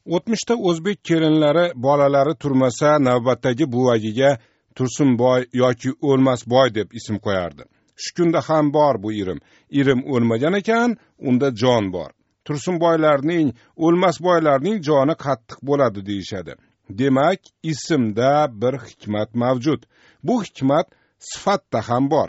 O'tmishda o'zbek kelinlari bolalari turmasa navbatdagi buvagiga Tursunboy yoki O'lmasboy deb ism qo'yardi. Shu kunda ham bor bu irim. Irim o'lmagan ekan, unda jon bor. Tursunboylarning, O'lmasboylarning joni qattiq bo'ladi deyishadi. Demak, ismda bir hikmat mavjud. Bu hikmat sifatda ham bor.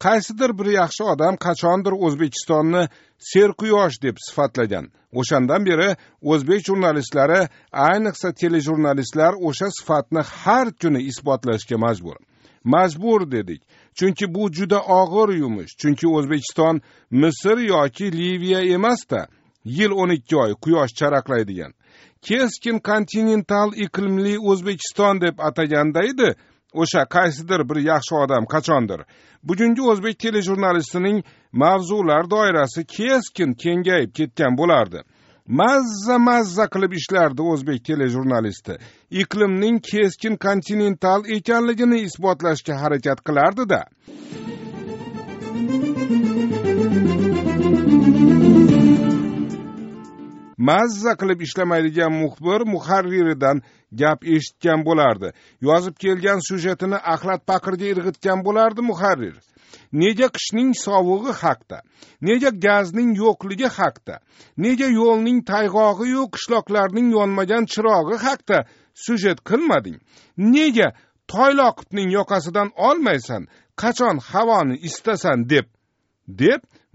Qaysidir bir yaxshi odam qachondir O'zbekistonni serquyosh deb sifatlagan. O'shandan beri o'zbek jurnalistlari, ayniqsa telejurnalistlar o'sha sifatni har kuni isbotlashga majbur. Majbur dedik, chunki bu juda og'ir yumush. Chunki O'zbekiston Misr yoki Liviya emas-da, yil 12 oy quyosh charaqlaydigan. Keskin kontinental iqlimli O'zbekiston deb ataganda edi o'sha qaysidir bir yaxshi odam qachondir. Bugungi o'zbek telejurnalistining mavzular doirasi keskin kengayib ketgan bo'lardi. Mazza qilib ishlardi o'zbek telejurnalisti. Iqlimning keskin kontinental ekanligini isbotlashga harakat qilardi-da. Mazza qilib ishlamaydigan muxbir muharriridan gap eshitgan bo'lardi. Yozib kelgan syujetini axlat paqirga irg'itgan bo'lardi muharrir. Nega qishning sovug'i haqda, nega gazning yo'qligi haqda, nega yo'lning tayg'og'i-yu qishloqlarning yonmagan chirog'i haqda syujet qilmading? Nega Toyloqovning yoqasidan olmaysan, qachon havoni istasan deb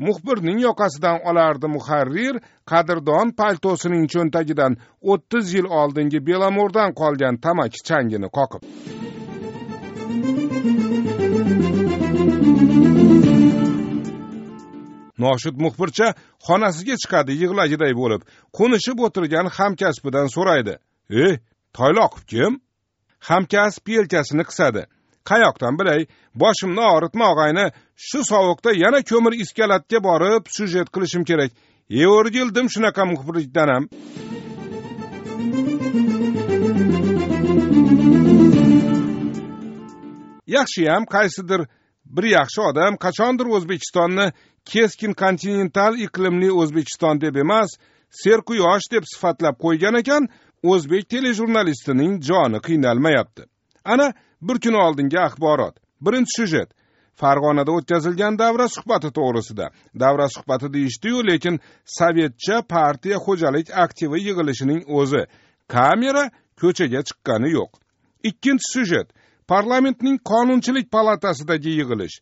muxbirning yoqasidan olardi muharrir qadrdon paltosining cho'ntagidan 30 yil oldingi Belamordan qolgan tamaki changini qoqib. Noshud muxbircha xonasiga chiqadi yig'lagiday bo'lib, qo'nishib o'tirgan hamkasbidan so'raydi: "Ey, Toyloqov kim?" Hamkasb yelkasini qisadi. Qayoqdan bilay, boshimni og'ritma og'ayni, shu sovuqda yana ko'mir iskalatga borib syujet qilishim kerak. O'rgildim shunaqa muxbirlikdan ham. Yaxshiyam qaysidir bir yaxshi odam qachondir O'zbekistonni keskin kontinental iqlimli O'zbekiston deb emas, serquyosh deb sifatlab qo'ygan ekan, o'zbek telejurnalistining joni qiynalmayapti. Ana bir kun oldingi axborot. Birinchi syujet Farg'onada o'tkazilgan davra suhbati to'g'risida. Davra suhbati deyishdi-yu, lekin sovetcha partiya xo'jalik aktivi yig'ilishining o'zi. Kamera ko'chaga chiqqani yo'q. Ikkinchi syujet parlamentning qonunchilik palatasidagi yig'ilish.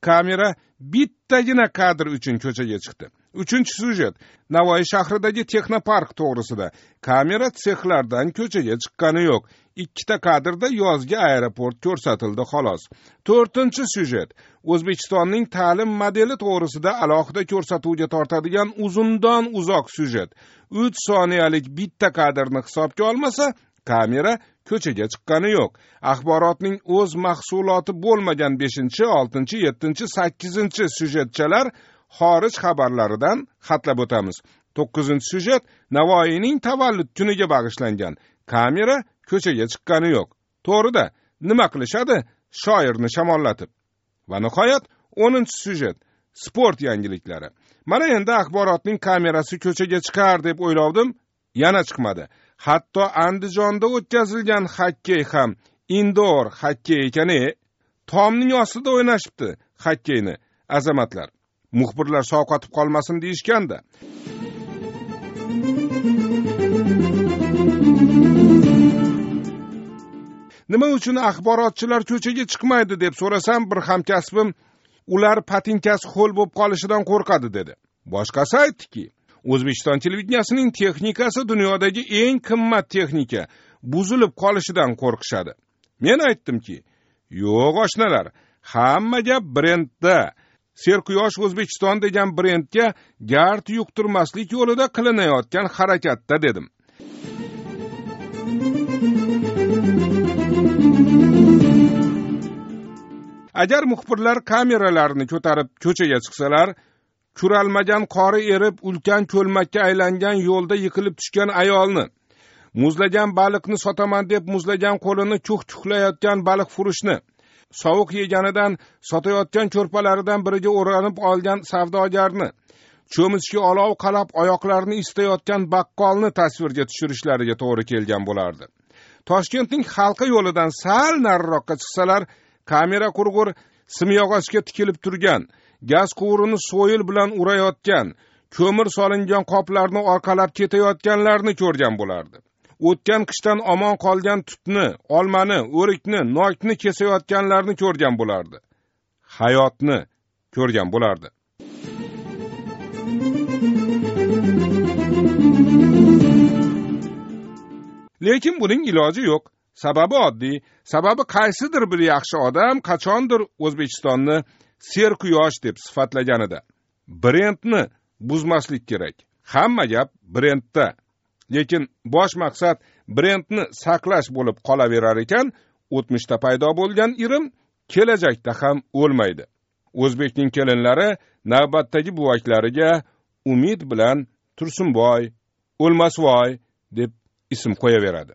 Kamera bittagina kadr uchun ko'chaga chiqdi. Uchinchi syujet Navoiy shahridagi texnopark to'g'risida. Kamera sexlardan ko'chaga chiqqani yo'q. Ikkita kadrda yozgi aeroport ko'rsatildi xolos. To'rtinchi syujet O'zbekistonning ta'lim modeli to'g'risida alohida ko'rsatuvga tortadigan uzundan uzoq syujet. 3 soniyalik bitta kadrni hisobga olmasa, kamera ko'chaga chiqqani yo'q. Axborotning o'z mahsuloti bo'lmagan 5-chi, 6-chi, 7-chi, 8-chi syujetchalar xorij xabarlaridan xatlab o'tamiz. 9-syujet Navoiyning tavallud kuniga bag'ishlangan. Kamera ko'chaga chiqqani yo'q. To'g'rida, nima qilishadi? Shoirni shamollatib. Va nihoyat 10-syujet sport yangiliklari. Mana endi axborotning kamerasi ko'chaga chiqar deb o'ylovdim, yana chiqmadi. Hatto Andijonda o'tkazilgan xokkey ham indoor xokkey ekan-e. Tomning ostida o'ynashibdi xokkeyni azamatlar. Muxbirlar sovqotib qolmasin deyishganda. Nima uchun axborotchilar ko'chaga chiqmaydi deb so'rasam, bir hamkasbim ular patinkasi ho'l bo'lib qolishidan qo'rqadi dedi. Boshqasi aytdiki, O'zbekiston televideniyasining texnikasi dunyodagi eng qimmat texnika, buzilib qolishidan qo'rqishadi. Men aytdimki, yo'q oshnalar, hamma gap brendda. Serquyosh O'zbekiston degan brendga gard yuqtirmaslik yo'lida qilinayotgan harakatda dedim. Agar muxbirlar kameralarini ko'tarib ko'chaga chiqsalar, kuralmagan qori erib ulkan ko'lmakka aylangan yo'lda yiqilib tushgan ayolni, muzlagan baliqni sotaman deb muzlagan qo'lini chuh-chuhlayotgan baliq furushni, sovuq yeganidan sotayotgan ko'rpalaridan biriga o'ranib olgan savdogarni, cho'michga olov qalab oyoqlarini isitayotgan baqqolni tasvirga tushirishlariga to'g'ri kelgan bo'lardi. Toshkentning Halqa yo'lidan sal nariroqqa chiqsalar, kamera qurg'ur simyog'ochga tikilib turgan, gaz quvurini so'yil bilan urayotgan, ko'mir solingan qoplarni orqalab ketayotganlarni ko'rgan bo'lardi. O'tgan qishdan omon qolgan tutni, olmani, o'rikni, nokni kesayotganlarni ko'rgan bo'lardi. Hayotni ko'rgan bo'lardi. Lekin buning iloji yo'q. Sababi oddiy. Sababi qaysidir bir yaxshi odam qachondir O'zbekistonni serquyosh deb sifatlaganida. Brendni buzmaslik kerak. Hamma gap brendda. Lekin bosh maqsad brendni saqlash bo'lib qolaverar ekan, o'tmishda paydo bo'lgan irim kelajakda ham o'lmaydi. O'zbekning kelinlari navbatdagi buvaklariga umid bilan Tursunboy, O'lmasvoy deb ism qo'yaveradi.